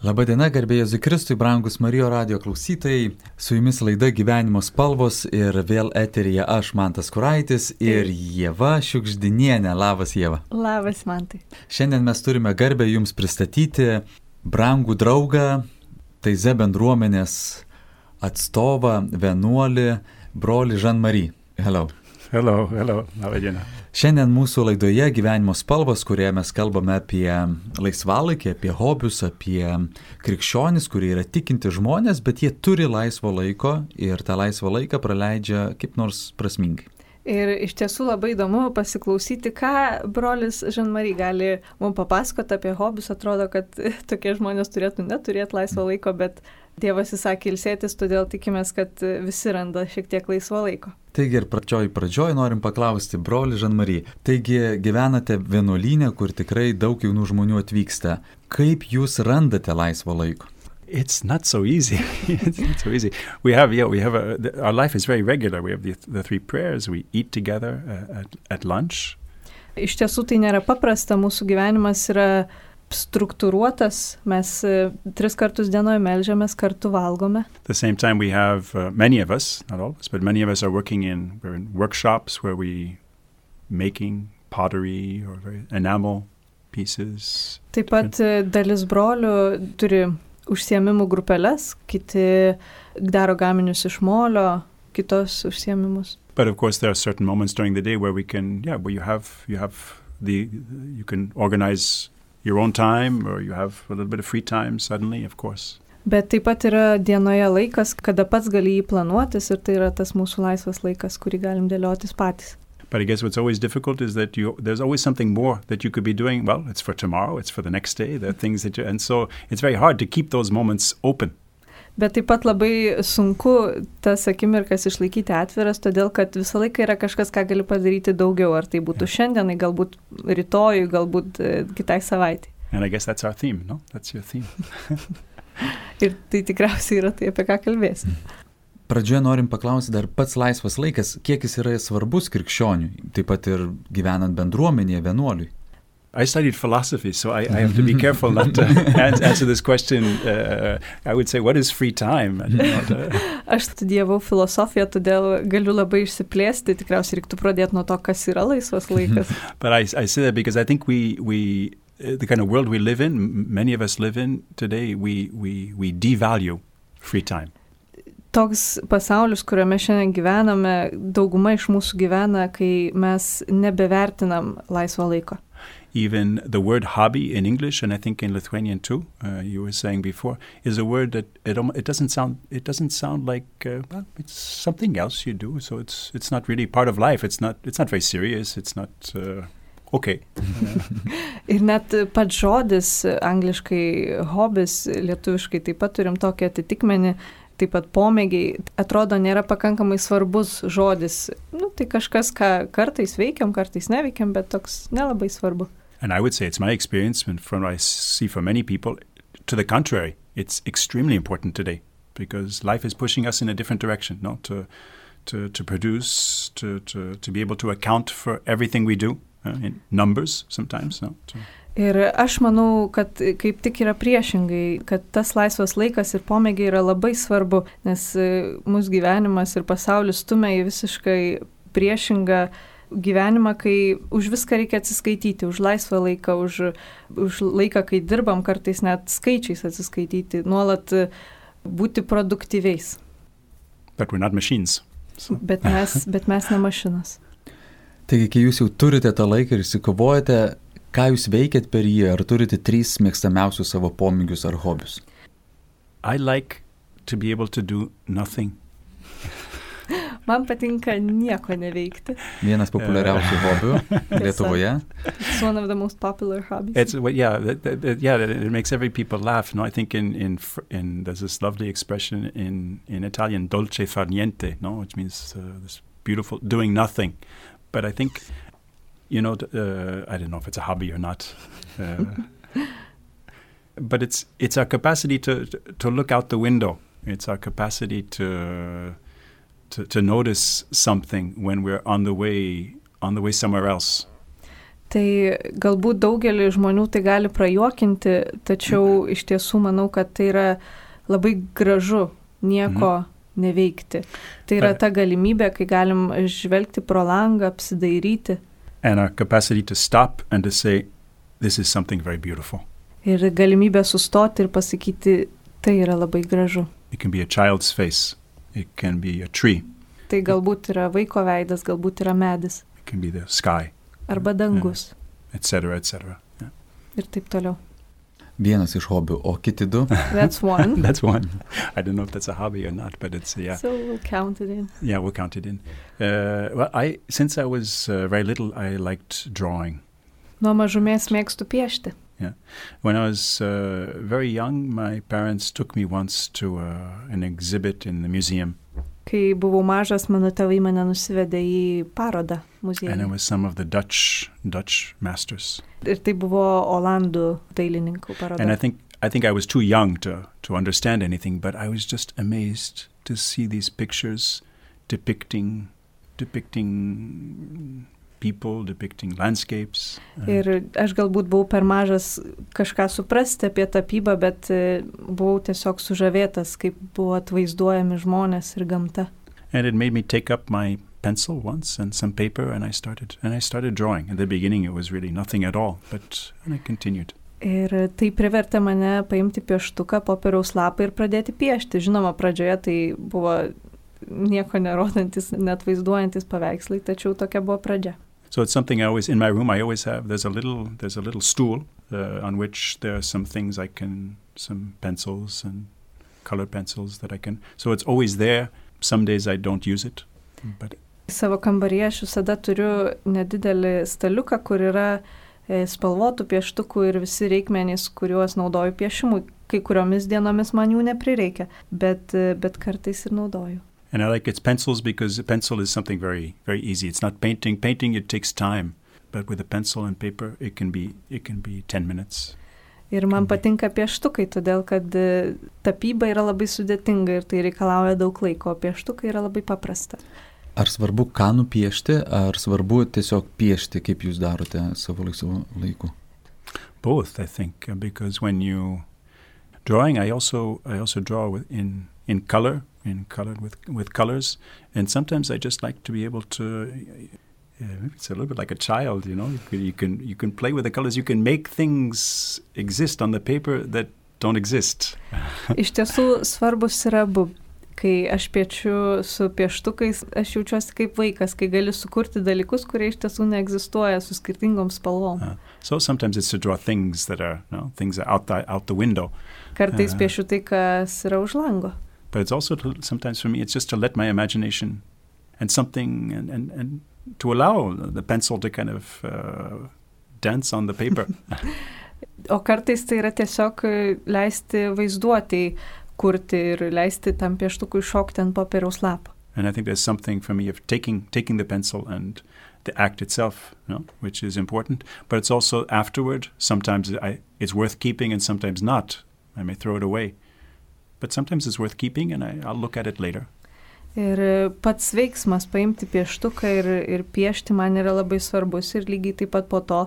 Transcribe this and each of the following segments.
Labadiena, garbė Jėzui Kristui, brangus Marijo radijo klausytojai, su jumis laida Gyvenimo spalvos ir vėl eteryje aš, Mantas Kuraitis ir Ieva Šiugždinienė. Labas, Ieva. Labas, Mantai. Šiandien mes turime garbę jums pristatyti brangų draugą, Taize bendruomenės atstovą, vienuolį, brolį Jean-Marie. Hello. Hello, labadiena. Šiandien mūsų laidoje Gyvenimo spalvos, kurioje mes kalbame apie laisvalaikį, apie hobius, apie krikščionis, kurie yra tikinti žmonės, bet jie turi laisvo laiko ir tą laisvą laiką praleidžia kaip nors prasmingai. Ir iš tiesų labai įdomu pasiklausyti, ką brolis Jean-Marie gali mums papasakoti apie hobius. Atrodo, kad tokie žmonės turėtų neturėti laisvo laiko, bet Dievas įsakė ilsėtis, todėl tikimės, kad visi randa šiek tiek laisvo laiko. Taigi ir pradžioj norim paklausti, broli Jean-Marie, taigi gyvenate vienuolyne, kur tikrai daug jaunų žmonių atvyksta. Kaip jūs randate laisvo laiko? It's not so easy. It's not so easy. Our life is very regular. We have the three prayers. We eat together at lunch. Iš tiesų tai nėra paprasta, mūsų gyvenimas yra struktūruotas, mes 3 kartus dienoje melžiamės, kartu valgome. At the same time we have many of us, not all of us, but many of us are working we're in workshops where we making pottery or enamel pieces. Taip pat dalis brolių turi užsiėmimų grupeles, kiti daro gaminius iš molio, kitos užsiėmimus. But of course there are certain moments during the day where you can organize your own time or you have a little bit of free time suddenly, of course. Bet taip pat yra dienoje laikas, kada pats gali jį planuotis ir tai yra tas mūsų laisvas laikas, kurį galim dėliotis patys. But I guess what's always difficult is that there's always something more that you could be doing. Well, it's for tomorrow, it's for the next day, there are things and so it's very hard to keep those moments open. Bet taip pat labai sunku tas akimirkas išlaikyti atviras, todėl kad visą laiką yra kažkas, ką gali padaryti daugiau, ar tai būtų šiandienai, galbūt rytojui, galbūt kitai savaitei. And I guess that's our theme, no? That's your theme. Ir tai tikriausiai yra tai, apie ką kalbėsim. Pradžioje norim paklausti dar pats laisvas laikas, kiek jis yra svarbus krikščioniui, taip pat ir gyvenant bendruomenėje, vienuoliui. I studied philosophy, so I have to be careful not to answer this question. I would say, what is free time? Aš studijavau filosofiją, todėl galiu labai išsiplėsti, tikriausiai reiktų pradėti nuo to, kas yra laisvas laikas. But I say that because I think we the kind of world we live in, many of us live in today, we devalue free time. Toks pasaulis, kuriame šiandien gyvename, dauguma iš mūsų gyvena, kai mes nebevertinam laisvo laiko. Even the word hobby in English, and I think in Lithuanian too, you were saying before, is a word that it doesn't sound like it's something else you do. So it's not really part of life. It's not very serious. It's not okay. Ir net pats žodis angliškai hobis, lietuviškai taip pat turim tokį atitikmenį. Taip pat pomėgiai, atrodo, nėra pakankamai svarbus žodis. Tai kažkas, ką kartais veikiam, kartais neveikiam, bet toks nelabai svarbu. And I would say it's my experience, and from what I see for many people, to the contrary, it's extremely important today, because life is pushing us in a different direction, no? To produce, to be able to account for everything we do, in numbers sometimes, no? Ir aš manau, kad kaip tik yra priešingai, kad tas laisvas laikas ir pomėgiai yra labai svarbu, nes mūsų gyvenimas ir pasaulis stumia į visiškai priešingą gyvenimą, kai už viską reikia atsiskaityti, už laisvą laiką, už laiką, kai dirbam, kartais net skaičiais atsiskaityti, nuolat būti produktyviais. But we're not machines. So. Bet mes ne mašinas. Taigi, kai jūs jau turite tą laiką ir įsikovojate, ką jūs veikiat per jį? Ar turite 3 mėgstamiausius savo pomėgius ar hobius? I like to be able to do nothing. Man patinka nieko neveikti. Vienas populiariausių hobių Lietuvoje. It's one of the most popular hobbies. It makes every people laugh. No, I think in there's this lovely expression in Italian, dolce far niente, no, which means this beautiful doing nothing. But I think I don't know if it's a hobby or not, but it's our capacity to look out the window. It's our capacity to notice something when we're on the way somewhere else. Tai galbūt daugelį žmonių tai gali prajuokinti, tačiau iš tiesų manau, kad tai yra labai gražu nieko neveikti. Tai yra ta galimybė, kai galim žvelgti pro langą, apsidairyti. And our capacity to stop and to say, this is something very beautiful. Ir galimybė sustoti ir pasakyti, tai yra labai gražu. It can be a child's face. It can be a tree. Tai galbūt yra vaiko veidas, galbūt yra medis. It can be the sky. Arba dangus. Etc., etc. Yeah. Ir taip toliau. Vienas iš hobių, o kiti du? That's one. That's one. I don't know if that's a hobby or not, but it's, yeah. So we'll count it in. Yeah, we'll count it in. Well, since I was very little, I liked drawing. Nuo mažumės mėgstu piešti. Yeah. When I was very young, my parents took me once to an exhibit in the museum. Kai buvau mažas, mano tėvai mane nusivedė į parodą muziejuje. And it was some of the Dutch masters. Ir tai buvo Olandų dailininkų paroda. And I think I was too young to understand anything, but I was just amazed to see these pictures depicting people, depicting landscapes. Ir aš galbūt buvau per mažas kažką suprasti apie tapybą, bet buvau tiesiog sužavėtas, kaip buvo atvaizduojami žmonės ir gamta. And it made me take up my pencil once and some paper and I started drawing. At the beginning it was really nothing at all, but I continued. Ir tai privertė mane paimti pieštuką, popieriaus lapą ir pradėti piešti. Žinoma, pradžioje tai buvo nieko nerodantis, net vaizduojantis paveikslai, tačiau tokia buvo pradžia. So it's something I always, in my room I always have, there's a little stool on which there are some things some pencils and colored pencils that I can, so it's always there. Some days I don't use it. But Savo kambaryje aš visada turiu nedidelį staliuką, kur yra spalvotų pieštukų ir visi reikmenys, kuriuos naudoju piešimui. Kai kuriomis dienomis man jų neprireikia, bet kartais ir naudoju. And I like its pencils because a pencil is something very, very easy. It's not painting. Painting, it takes time. But with a pencil and paper, it can be 10 minutes. Ir man patinka pieštukai, todėl kad tapyba yra labai sudėtinga ir tai reikalauja daug laiko, o pieštukai yra labai paprasta. Ar svarbu ką nupiešti, ar svarbu tiesiog piešti, kaip jūs darote savo laisvu laiku? Both, I think, because when you drawing, I also draw in color. With colors, and sometimes I just like to be able to. Maybe it's a little bit like a child, you know. You can play with the colors. You can make things exist on the paper that don't exist. Iš tiesų svarbus yra abu. Kai aš piešiu su pieštukais, aš jaučiuosi kaip vaikas, kai gali sukurti dalykus, kurie iš tiesų neegzistuoja, su skirtingom spalvom. So sometimes it's to draw things that are, things are out the window. Kartais piešiu tai, kas yra už lango. But it's also sometimes for me, it's just to let my imagination and something and to allow the pencil to kind of dance on the paper. O kartais tai yra tiesiog leisti vaizduotei kurti ir leisti tam pieštukui šokti ant popieriaus lapo. And I think there's something for me of taking the pencil and the act itself, which is important. But it's also afterward. Sometimes it's worth keeping and sometimes not. I may throw it away. But sometimes it's worth keeping and I'll look at it later. Ir pats veiksmas paimti pieštuką ir piešti man yra labai svarbus ir lygiai taip pat po to,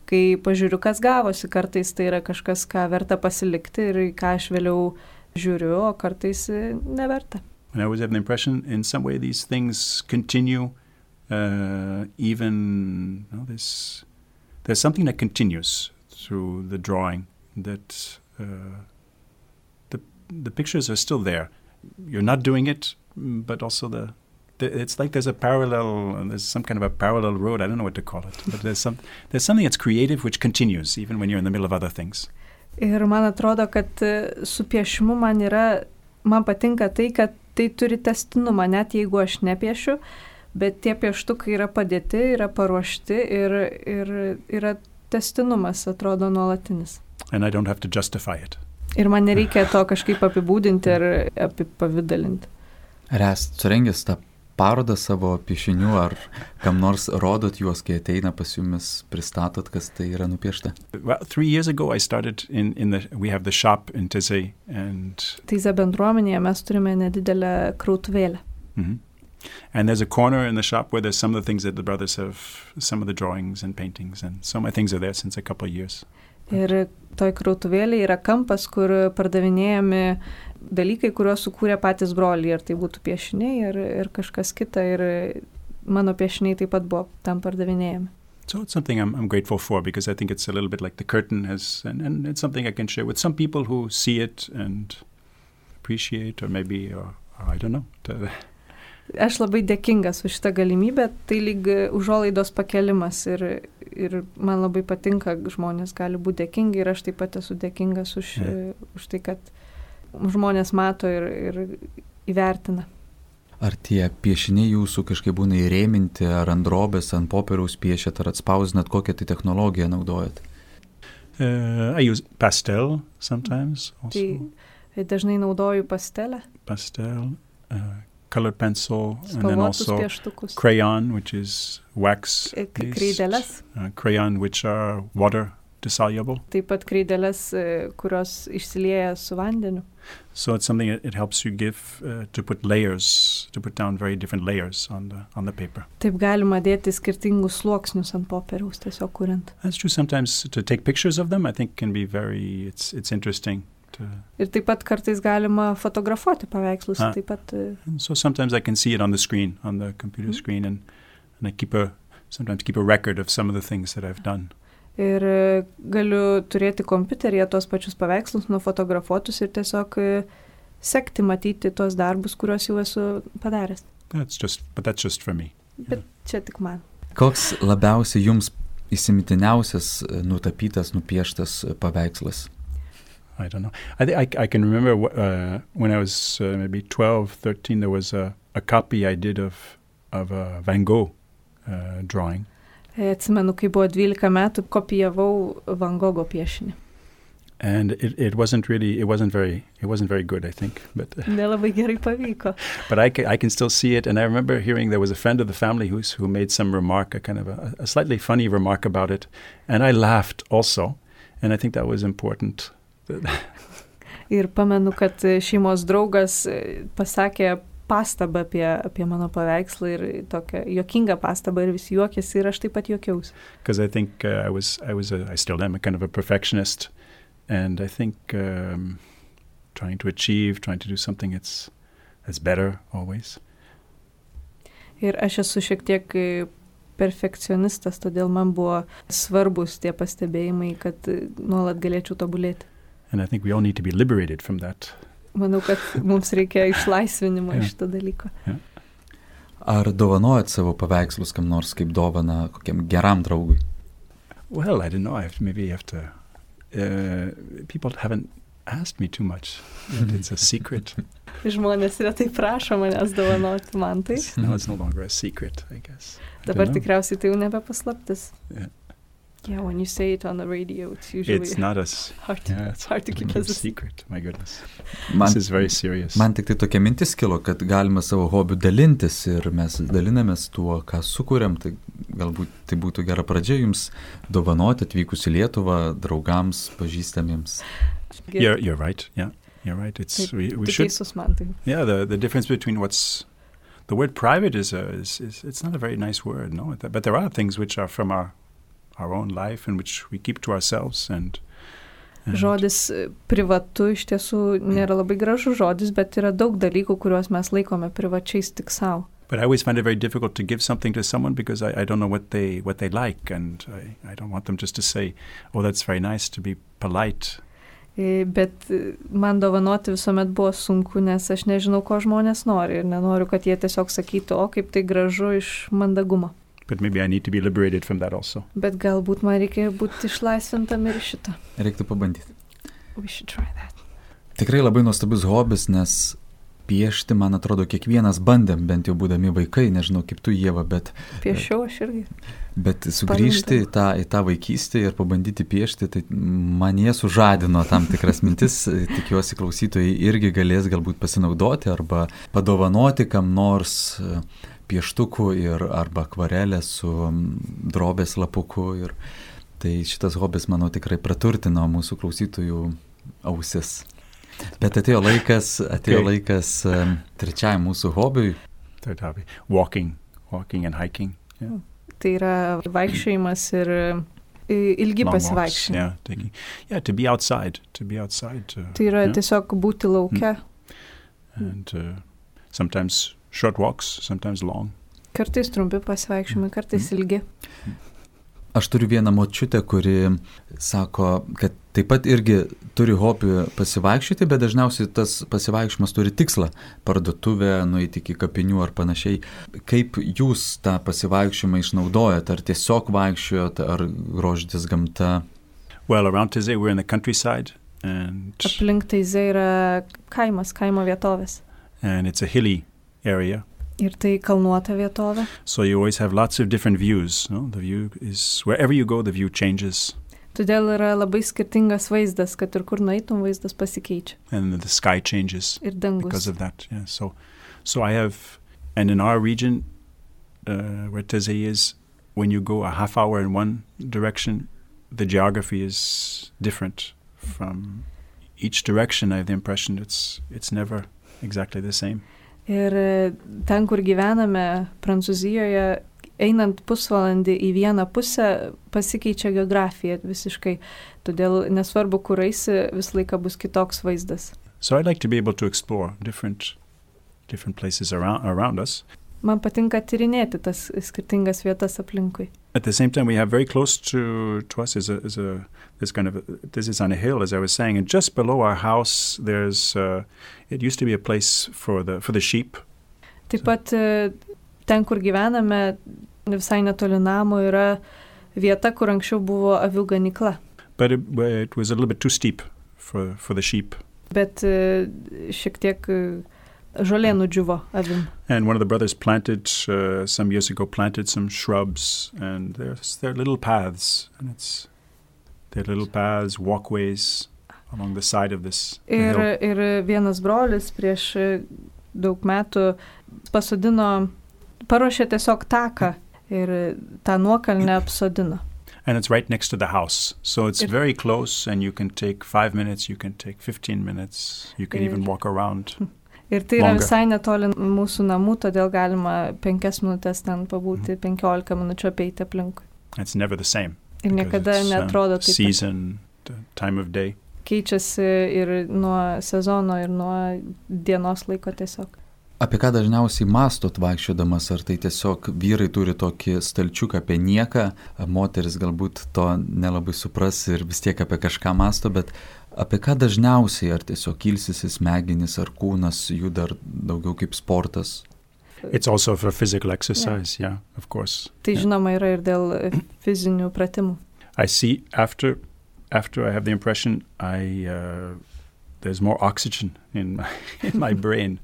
kai pažiūriu, kas gavosi, kartais tai yra kažkas, ką verta pasilikti ir ką aš vėliau žiūriu, o kartais neverta. And I always have the impression in some way these things continue even, there's something that continues through the drawing that the pictures are still there. You're not doing it, but also it's like there's some kind of a parallel road. I don't know what to call it, but there's something that's creative which continues even when you're in the middle of other things. Ir man atrodo, kad su piešimu man patinka tai, kad tai turi testinumą, net jeigu aš nepiešiu, bet tie pieštukai yra padėti, yra paruošti ir yra testinumas, atrodo, nuolatinis. And I don't have to justify it. Ir man nereikia to kažkaip apibūdinti ar apipavidalinti. Ar esate surengęs tą parodą savo piešinių, ar kam nors rodot juos, kai ateina pas jumis, pristatot, kas tai yra nupiešta? Well, 3 years ago I started we have the shop in Taizé and Taizé bendruomenėje mes turime nedidelę krautuvėlę. Mm-hmm. And there's a corner in the shop where there's some of the things that the brothers have, some of the drawings and paintings, and so my things are there since a couple of years. Ir toj krautuvėlėje yra kampas, kur pardavinėjami dalykai, kuriuos sukūrė patys broliai, ar tai būtų piešiniai, ir kažkas kita, ir mano piešiniai taip pat buvo tam pardavinėjami. So it's something I'm grateful for, because I think it's a little bit like the curtain has, and it's something I can share with some people who see it and appreciate, or maybe, or I don't know. Aš labai dėkingas už šitą galimybę, tai lyg užuolaidos pakelimas ir man labai patinka, žmonės gali būti dėkingi ir aš taip pat esu dėkingas už tai, kad žmonės mato ir įvertina. Ar tie piešiniai jūsų kažkaip būna įrėminti, ar ant drobės, ant popieriaus piešėt, ar atspausdinat, kokią tai technologiją naudojat? I use pastel sometimes also. Tai dažnai naudoju pastelę. Pastel, colored pencil, and then also pieštukus. Crayon, which is wax. Kreideles. Crayon, which are water dissoluble. Taip pat kreideles, kurios išsilieja su vandeniu. So it's something that it helps you give to put layers, to put down very different layers on the paper. Taip galima dėti skirtingus sluoksnius ant popieriaus, tiesiog kuriant. That's true. Sometimes to take pictures of them, I think can be very, it's interesting. Ir taip pat kartais galima fotografuoti paveikslus. Taip pat. So sometimes I can see it on the screen, on the computer screen, and I sometimes keep a record of some of the things that I've done. Ir galiu turėti kompiuteryje tos pačius paveikslus nufotografuotus ir tiesiog sekti, matyti tos darbus, kuriuos jau esu padaręs. But that's just for me. Bet čia tik man. Koks labiausiai jums įsimintiniausias nutapytas, nupieštas paveikslas? I don't know. I can remember when I was maybe 12, 13, there was a copy I did of a Van Gogh drawing. Atsimenu, kai buvo 12 metų, kopijavau Van Gogho piešinį. And it wasn't very good, I think. But nelabai gerai pavyko. But I can still see it, and I remember hearing there was a friend of the family who made some remark, a kind of a slightly funny remark about it, and I laughed also, and I think that was important. Ir pamenu, kad šeimos draugas pasakė pastabą apie mano paveikslą ir tokią juokingą pastabą ir visi juokėsi ir aš taip pat juokiausi. Because I think I still am a kind of a perfectionist, and I think trying to do something that's better always. Ir aš esu šiek tiek perfekcionistas, todėl man buvo svarbus tie pastebėjimai, kad nuolat galėčiau tobulėti. And I think we all need to be liberated from that. Manau, kad mums reikia išlaisvinimo iš šito dalyko. Ar dovanojat savo paveikslus kam nors kaip dovaną kokiam geram draugui? Well, I don't know. Maybe you have to... people haven't asked me too much. It's a secret. Žmonės retai prašo manęs dovanoti man tai. No, it's no longer a secret, I guess. Dabar tikriausiai tai jau nebe paslaptis. Yeah, when you say it on the radio, it's usually hard to keep as a secret. My goodness. This is very serious. Man tik tai tokia mintis kilo, kad galima savo hobių dalintis ir mes dalinamės tuo, ką sukūrėm, tai galbūt tai būtų gera pradžia jums dovanoti atvykus į Lietuvą draugams, pažįstamiems. You're right. Yeah, you're right. We should. Yeah, the difference between the word private is it's not a very nice word, no. But there are things which are from our own life and which we keep to ourselves and Žodis privatu iš tiesų nėra labai gražus žodis, bet yra daug dalykų, kuriuos mes laikome privačiais tik savo. But I always find it very difficult to give something to someone because I don't know what they like, and I don't want them just to say, "Oh, that's very nice," to be polite. Bet man dovanoti visuomet buvo sunku, nes aš nežinau, ko žmonės nori ir nenoriu, kad jie tiesiog sakytų, o kaip tai gražu iš mandagumo. But maybe I need to be liberated from that also. Bet galbūt man reikia būti išlaisvintam ir šito. Reiktų pabandyti. We should try that. Tikrai labai nuostabus hobis, nes piešti, man atrodo, kiekvienas bandėm, bent jau būdami vaikai, nežinau kaip tu, Ieva, bet... Piešiau aš irgi. Bet sugrįžti į tą vaikystę ir pabandyti piešti, tai man jie sužadino tam tikras mintis, tikiuosi klausytojai irgi galės galbūt pasinaudoti arba padovanoti kam nors pieštukų arba akvarelę su drobės lapuku. Ir tai šitas hobis, manau, tikrai praturtino mūsų klausytojų ausis. Bet atėjo laikas trečiajam mūsų hobiui. Third hobby. Walking and hiking. Yeah. Tai yra vaikščiojimas ir ilgi Long walks, pasivaikščiojimai. to be outside. Tai yra yeah. tiesiog būti lauke. And sometimes short walks, sometimes long. Kartais trumpi pasivaikščiojimai, kartais ilgi. Aš turiu vieną močiutę, kuri sako, kad taip pat irgi turi hobį pasivaikščioti, bet dažniausiai tas pasivaikščiojimas turi tikslą – parduotuvę, nueiti iki kapinių ar panašiai. Kaip jūs tą pasivaikščiojimą išnaudojat? Ar tiesiog vaikščiojat, ar grožitės gamta? Well, around Taizé we're in the countryside. And Aplink Taizé yra kaimo vietovės. And it's a hilly area. Ir tai kalnuota vietovė. So you always have lots of different views. No? The view is, wherever you go, the view changes. Todėl yra labai skirtingas vaizdas, kad ir kur nueitum, vaizdas pasikeičia. And the sky changes Ir dangus. because of that. Yeah. So I have, and in our region, where Taizé is, when you go a half hour in one direction, the geography is different from each direction. I have the impression it's never exactly the same. Ir ten, kur gyvename, Prancūzijoje, einant pusvalandį į vieną pusę, pasikeičia geografija visiškai. Todėl nesvarbu, kur eisi, vis laiką bus kitoks vaizdas. So I'd like to be able to explore different places around us. Man patinka tyrinėti tas skirtingas vietas aplinkui. At the same time, we have very close to us is this is on a hill, as I was saying, and just below our house, there's it used to be a place for the sheep. Taip pat ten, kur gyvename, visai netoli namo yra vieta, kur anksčiau buvo avių ganykla. But it was a little bit too steep for the sheep. Bet šiek tiek žolė nudžiuvo avim. And one of the brothers some years ago planted some shrubs, and there are little paths, and there are little paths, walkways along the side of this hill. Ir vienas brolis prieš daug metų paruošė tiesiog taką ir tą nuokalnę apsodino. And it's right next to the house. So it's very close, and you can take 5 minutes, you can take 15 minutes, you can even walk around. Ir tai yra visai netoli mūsų namų, todėl galima 5 minutės ten pabūti, 15 minučių apeiti aplinkui. It's never the same. Ir niekada neatrodo taip. Season, the time of day. Keičiasi ir nuo sezono, ir nuo dienos laiko tiesiog. Apie ką dažniausiai mąstot vaikščiodamas? Ar tai tiesiog vyrai turi tokį stalčiuką apie nieką, moteris galbūt to nelabai supras ir vis tiek apie kažką mąsto, bet apie ką dažniausiai? Ar tiesiog ilsisi smegenys, ar kūnas juda, ar daugiau kaip sportas? It's also for physical exercise, yeah of course. Tai žinoma yra ir dėl fizinių pratimų. I see after I have the impression there's more oxygen in my brain.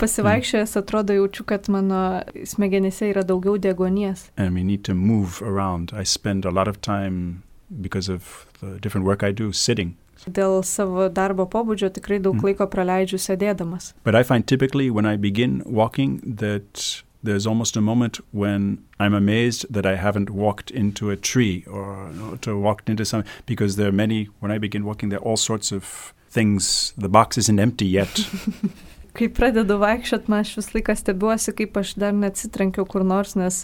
Pasivaikščiojęs atrodo jaučiu, kad mano smegenyse yra daugiau deguonies. And we need to move around. I spend a lot of time, because of the different work I do, sitting. Dėl savo darbo pobūdžio tikrai daug laiko praleidžiu sėdėdamas. But I find typically when I begin walking that there's almost a moment when I'm amazed that I haven't walked into a tree or to walked into something, because there are many, when I begin walking, there are all sorts of things. The box isn't empty yet. Kai pradedu vaikščiot, man aš vis laiką stebiuosi, kaip aš dar neatsitrenkiau kur nors, nes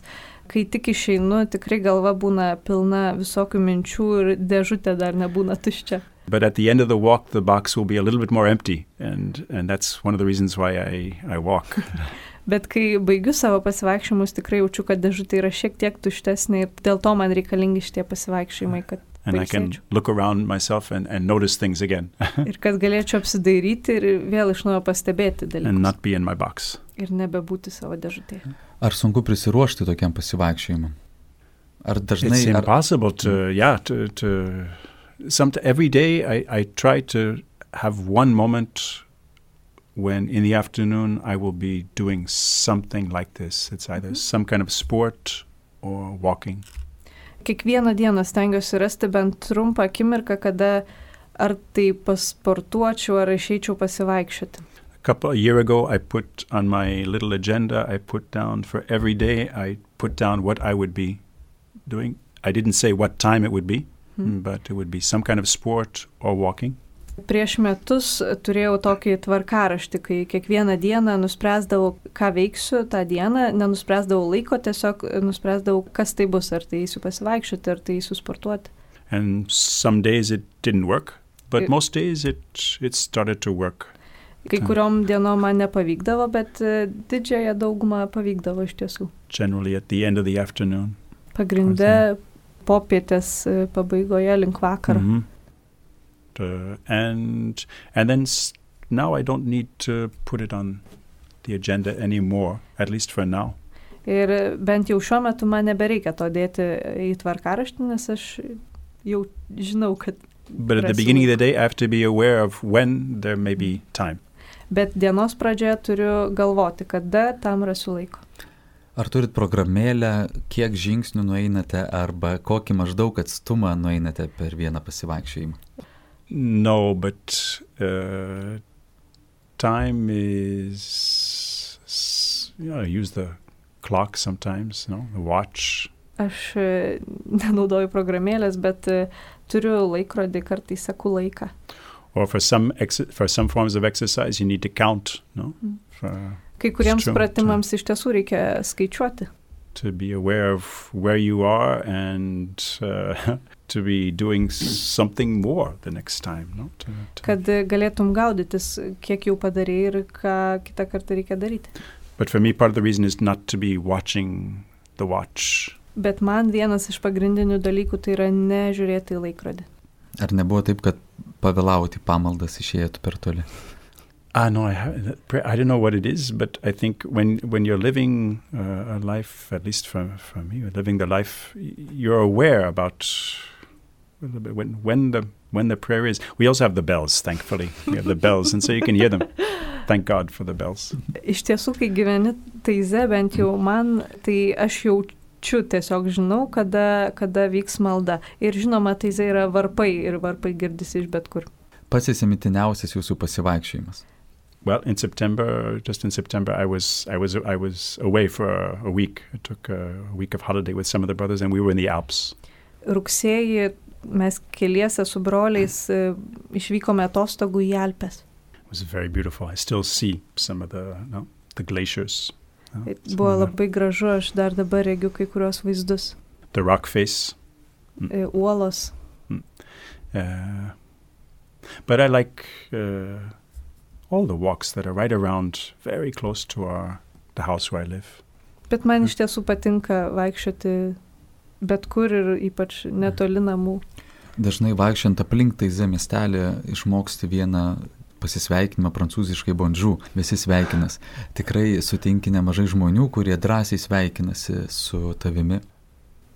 kai tik išeinu, tikrai galva būna pilna visokių minčių ir dėžutė dar nebūna tuščia. But at the end of the walk, the box will be a little bit more empty, and that's one of the reasons why I walk. Bet kai baigiu savo pasivaikščiojimus, tikrai jaučiu, kad dėžutė yra šiek tiek tuštesnė ir dėl to man reikalingi šitie pasivaikščiojimai, kad and I can look around myself and notice things again. Ir kad galėčiau apsidairyti ir vėl iš naujo pastebėti dalykus. And not be in my box. Ir nebebūti savo dėžutėje. Ar sunku prisiruošti tokiam pasivaikščiojimui? Ar dažnai... It's impossible every day I try to have one moment when in the afternoon I will be doing something like this. It's either some kind of sport or walking. Kiekvieną dieną stengiuosi rasti bent trumpą akimirką, kada ar tai pasportuočiau, ar išeičiau pasivaikščioti. A year ago, I put on my little agenda, I put down for every day, I put down what I would be doing. I didn't say what time it would be, but it would be some kind of sport or walking. Prieš metus turėjau tokį tvarkaraštį, kai kiekvieną dieną nuspręsdavau, ką veiksiu tą dieną, nenuspręsdavau laiko, tiesiog nuspręsdavau, kas tai bus, ar tai eisiu pasivaikščioti, ar tai eisiu sportuoti. And some days it didn't work, but most days it started to work. Kai kuriom dienom man nepavykdavo, bet didžiąją daugumą pavykdavo iš tiesų. Generally at the end of the afternoon. Pagrinde popietės pabaigoje link vakaro. Mm-hmm. And then now I don't need to put it on the agenda anymore, at least for now. Ir bent jau šiuo metu man nebereikia to dėti į tvarkaraštį, nes aš jau žinau, kad... But at the beginning of the day, I have to be aware of when there may be time. Bet dienos pradžioje turiu galvoti, kada tam rasiu laiko. Ar turit programėlę, kiek žingsnių nueinate arba kokį maždaug atstumą nueinate per vieną pasivaikščiojimą? No, but time is... I use the clock sometimes, the watch. Aš nenaudoju programėlės, bet turiu laikrodį, kartais seku laiką. Or for some forms of exercise, you need to count, Kai kuriems pratimams iš tiesų reikia skaičiuoti. To be aware of where you are and to be doing something more the next time. Kad galėtum gaudytis, kiek jau padarei ir ką kitą kartą reikia daryti. But for me, part of the reason is not to be watching the watch. Bet man vienas iš pagrindinių dalykų tai yra nežiūrėti į laikrodį. Ar nebuvo taip, kad pavėlavote pamaldas, išėjote per toli? No, I don't know what it is, but I think when you're living a life, at least for me, you're living the life, you're aware about when the prayer is. We also have the bells, thankfully. We have the bells, and so you can hear them. Thank God for the bells. Iš tiesų, kai gyveni taize, bent jau man, tai aš jaučiu, tiesiog žinau, kada vyks malda. Ir žinoma, taize yra varpai, ir varpai girdisi iš bet kur. Pats įsimintiniausias jūsų pasivaikščiojimas? Well, just in September, I was away for a week. I took a week of holiday with some of the brothers, and we were in the Alps. Rugsėjį mes keliese su broliais išvykome atostogų į Alpes. It was very beautiful. I still see some of the glaciers. Buvo labai gražu, aš dar dabar regiu kai kurios vaizdus. The rock face. Uolos. But I like all the walks that are right around, very close to the house where I live. Bet man iš tiesų patinka vaikščioti bet kur ir ypač netoli namų. Dažnai vaikščiant aplink Taize miestelį išmoksti vieną pasisveikinimą prancūziškai bonjour, visi sveikinas. Tikrai sutinki nemažai žmonių, kurie drąsiai sveikinasi su tavimi.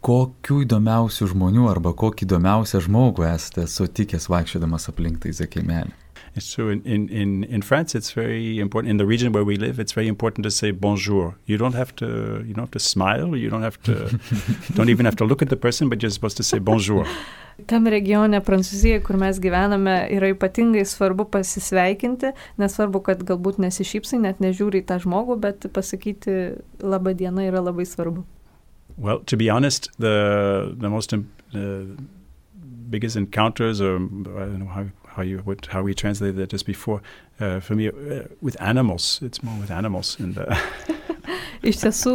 Kokių įdomiausių žmonių arba kokį įdomiausią žmogų esate sutikęs vaikščiodamas aplink Taize kaimelį? It's true. In France, it's very important. In the region where we live, it's very important to say bonjour. You don't have to smile. You don't even have to look at the person, but you're supposed to say bonjour. Tam regione Prancūzijoje, kur mes gyvename, yra ypatingai svarbu pasisveikinti, nesvarbu, kad galbūt nesišypsai, net nežiūri į tą žmogų, bet pasakyti laba diena yra labai svarbu. Well, to be honest, the most biggest encounters, or I don't know how we translated that just before, for me, with animals. It's more with animals. Iš tiesų,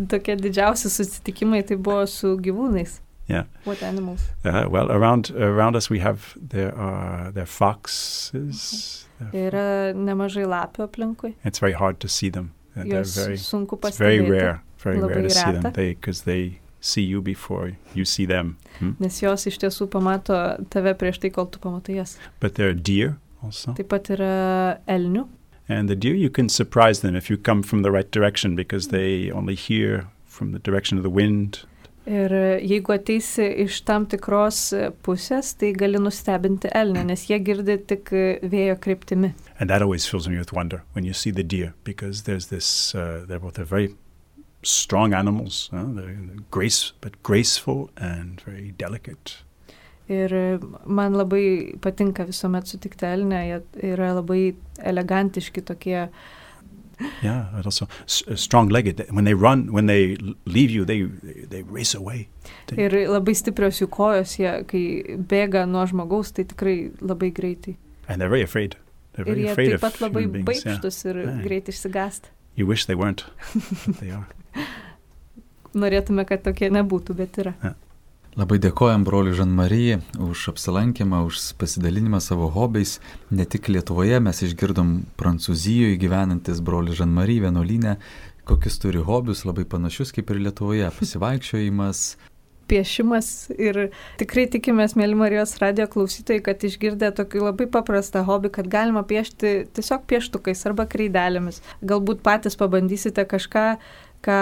tokie didžiausi susitikimai tai buvo su gyvūnais. Yeah. What animals? Well, around us there are foxes. Yra nemažai lapių aplinkui. It's very hard to see them. Jos sunku pastebėti. It's very rare to see them because they see you before you see them. Nes jos iš tiesų pamato tave prieš tai, kol tu pamatai jas. But there are deer also. Taip pat yra elnių. And the deer, you can surprise them if you come from the right direction because they only hear from the direction of the wind. Ir jeigu ateisi iš tam tikros pusės, tai gali nustebinti elnį, nes jie girdi tik vėjo kryptimi. And that always fills me with wonder when you see the deer because there's this, they're very strong animals, they're graceful and very delicate. Ir man labai patinka visuomet sutikti elnę, jie yra labai elegantiški tokie. Yeah, but also strong-legged. When they run, when they leave you, they race away. Ir labai stiprios jų kojos, jie kai bėga nuo žmogaus, tai tikrai labai greitai. And they're very afraid. They're Ir very jie afraid taip of pat labai human beings. Yeah. baikštus ir greit išsigąsta. You wish they weren't, but they are. Norėtume, kad tokie nebūtų, bet yra. Labai dėkojam broliui Žan-Marijai už apsilankymą, už pasidalinimą savo hobiais. Ne tik Lietuvoje, mes išgirdom Prancūzijoje gyvenantis brolius Žan-Marijai vienuolyne, kokius turi hobius, labai panašius kaip ir Lietuvoje. Pasivaikščiojimas, Piešimas ir tikrai tikimės, mėly Marijos radijo klausytojai, kad išgirdę tokį labai paprastą hobį, kad galima piešti tiesiog pieštukais arba kreidelėmis. Galbūt patys pabandysite kažką, ką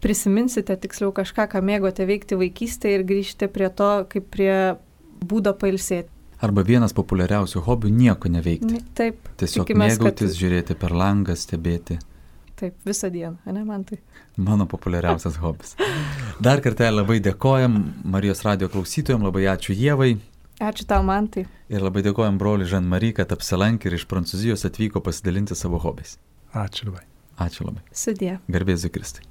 prisiminsite, tiksliau kažką, ką mėgote veikti vaikystėje ir grįžti prie to, kaip prie būdo pailsėti. arba vienas populiariausių hobių - nieko neveikti. Taip. Tiesiog tikimės, mėgautis, žiūrėti per langą, stebėti. Taip, visą dieną, ne man tai. Mano populiariausias hobis. Dar kartelį labai dėkojam Marijos radijo klausytojams, labai ačiū Ievai. Ačiū tau, Mantai. Ir labai dėkojam broliui Žan-Marijai, kad apsilankė ir iš Prancūzijos atvyko pasidalinti savo hobiais. Ačiū labai. Ačiū labai. Sudie. Garbėsiu Kristui.